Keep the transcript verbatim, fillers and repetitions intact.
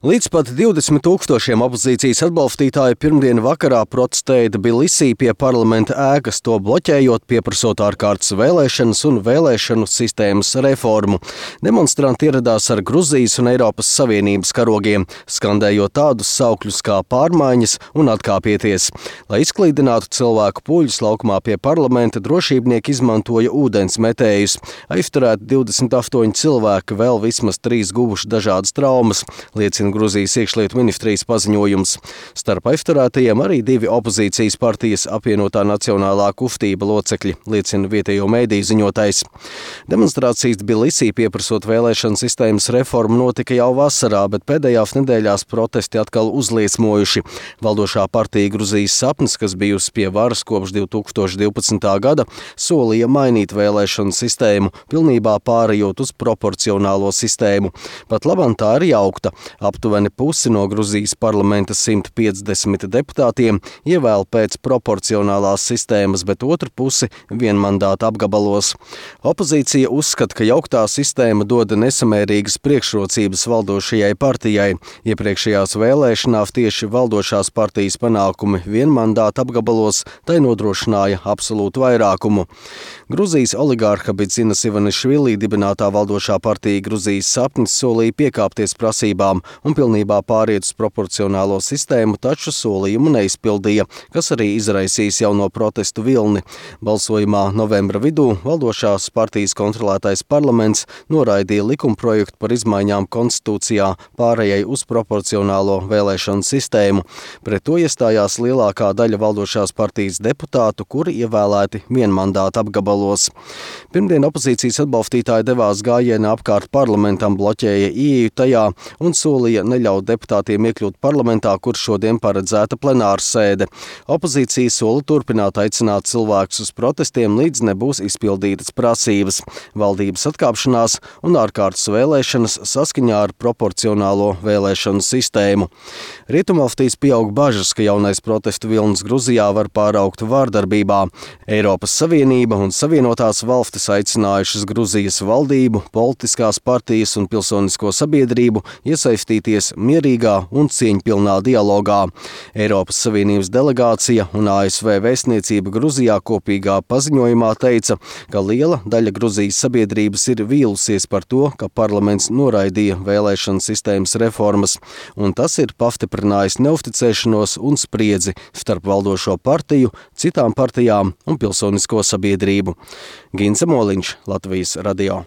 Līdz pat divdesmit tūkstošiem opozīcijas atbalstītāju pirmdien vakarā protestēja Tbilisī pie parlamenta ēkas, to bloķējot, pieprasot ārkārtas vēlēšanas un vēlēšanu sistēmas reformu. Demonstranti ieradās ar Gruzijas un Eiropas Savienības karogiem, skandējot tādus saukļus kā pārmaiņas un atkāpieties. Lai izklīdinātu cilvēku pūļus laukumā pie parlamenta, drošībnieki izmantoja ūdens metējus. Aizturēti divdesmit astoņi cilvēki, vēl vismaz trīs guvuši dažādas traumas, liecina Gruzijas iekšlietu ministrijas paziņojums. Starp aizturētajiem arī divi opozīcijas partijas apvienotā nacionālā kustība locekļi, liecina vietējo mēdīju ziņotājs. Demonstrācijas Tbilisī pieprasot vēlēšanu sistēmas reformu notika jau vasarā, bet pēdējās nedēļās protesti atkal uzliesmojuši. Valdošā partija Gruzijas sapnis, kas bijusi pie varas kopš divi tūkstoši divpadsmitā gada, solīja mainīt vēlēšanu sistēmu, pilnībā pārējot uz proporcionālo sistēmu. Pat labam tā ir jaukta. Aptuveni pusi no Gruzijas parlamenta simt piecdesmit deputātiem ievēl pēc proporcionālās sistēmas, bet otru pusi vienmandāta apgabalos. Opozīcija uzskata, ka jauktā sistēma dod nesamērīgas priekšrocības valdošajai partijai. Iepriekšējās vēlēšanās tieši valdošās partijas panākumi vienmandāta apgabalos tai nodrošināja absolūtu vairākumu. Gruzijas oligārha Bidzinas Ivanišvili dibinātā valdošā partija Gruzijas sapnis solīja piekāpties prasībām un pilnībā pāriet uz proporcionālo sistēmu, taču solījumu neizpildīja, kas arī izraisīs jauno protestu vilni. Balsojumā novembra vidū valdošās partijas kontrolētais parlaments noraidīja likumprojektu par izmaiņām konstitūcijā pārējai uz proporcionālo vēlēšanu sistēmu. Pret to iestājās lielākā daļa valdošās partijas deputātu, kuri ievēlēti vienmandāta apgabalos. Pirmdien opozīcijas atbalstītāji devās gājienā apkārt parlamentam, bloķēja ieeju tajā un solīja neļaut deputātiem iekļūt parlamentā, kur šodien paredzēta plenāra sēde. Opozīcija sola turpināt aicināt cilvēkus uz protestiem, līdz nebūs izpildītas prasības, valdības atkāpšanās un ārkārtas vēlēšanas saskaņā ar proporcionālo vēlēšanu sistēmu. Rietumvalstīs pieaug bažas, ka jaunais protestu vilnis Gruzijā var pāraugt vārdarbībā. Eiropas Savienība un Savienotās valstis aicinājušas Gruzijas valdību, politiskās partijas un pilsonisko sabiedrību iesaistīties mierīgā un cieņpilnā dialogā. Eiropas Savienības delegācija un A S V vēstniecība Gruzijā kopīgā paziņojumā teica, ka liela daļa Gruzijas sabiedrības ir vīlusies par to, ka parlaments noraidīja vēlēšanu sistēmas reformas, un tas ir pastiprinājis neusticēšanos un spriedzi starp valdošo partiju, citām partijām un pilsonisko sabiedrību. Gince Moliņš, Latvijas radio.